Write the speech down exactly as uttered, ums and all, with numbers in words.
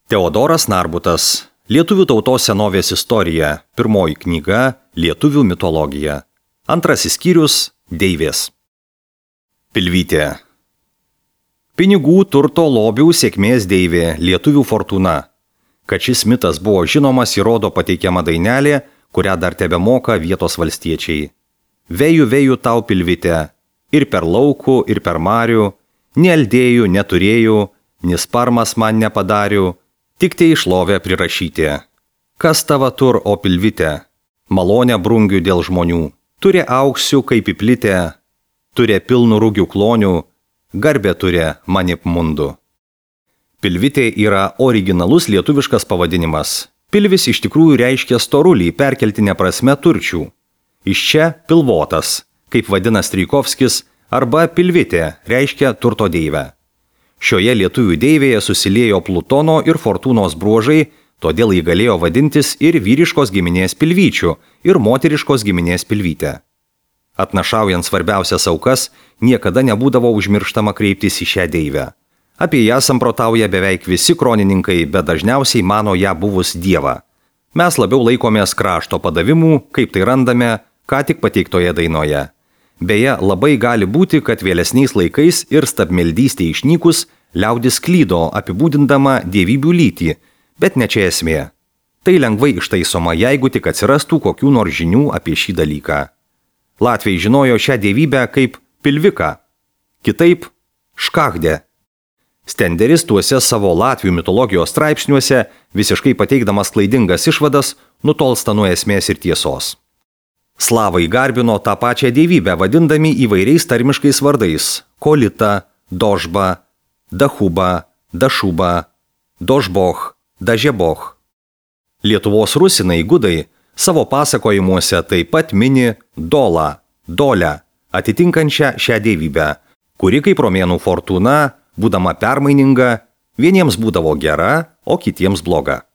Teodoras Narbutas. Lietuvių tautos senovės istorija. Pirmoji knyga Lietuvių mitologija. Antrasis skyrius Deivės. Pilvytė. Pinigų, turto, lobių, sėkmės deivė, lietuvių fortūna. Kad šis mitas buvo žinomas, įrodo pateikiama dainelė, kurią dar tebemoka vietos valstiečiai. Vėjų, vėjų tau pilvytė, ir per laukų, ir per marių, nealdėjų, neturėjų, nisparmas man nepadarių, tik te išlovę prirašyti. Kas tava tur, o pilvytė? Malonę brungių dėl žmonių. Turi auksių kaip įplitę, turi pilnų rūgių klonių, garbė turi manip mundu. Pilvytė yra originalus lietuviškas pavadinimas. Pilvis iš tikrųjų reiškia storulį perkeltinę prasme turčių. Iš čia pilvotas, kaip vadina Strijkovskis, arba pilvytė reiškia turto deivę. Šioje lietuvių deivėje susiliejo Plutono ir Fortūnos bruožai, todėl jį galėjo vadintis ir vyriškos giminės pilvyčių, ir moteriškos giminės pilvytė. Atnašaujant svarbiausias aukas, niekada nebūdavo užmirštama kreiptis į šią deivę. Apie ją samprotauja beveik visi kronininkai, bet dažniausiai mano ją buvus dievą. Mes labiau laikomės krašto padavimų, kaip tai randame ką tik pateiktoje dainoje. Beje, labai gali būti, kad vėlesniais laikais ir stabmeldystė išnykus liaudis klydo apibūdindama dievybių lytį, bet ne čia esmė. Tai lengvai ištaisoma, jeigu tik atsirastų kokių nors žinių apie šį dalyką. Latviai žinojo šią dievybę kaip pilviką, kitaip škahdę. Stenderis tuose savo latvių mitologijos straipsniuose, visiškai pateikdamas klaidingas išvadas, nutolsta nuo esmės ir tiesos. Slavai garbino tą pačią dievybę, vadindami įvairiais tarmiškais vardais – Kolita, Dožba, Dahuba, Dašuba, Dožboch, Dažeboch. Lietuvos rusinai gudai savo pasakojimuose taip pat mini Dolą, Dolę, atitinkančią šią dievybę, kuri kaip romėnų fortūna, būdama permaininga, vieniems būdavo gera, o kitiems bloga.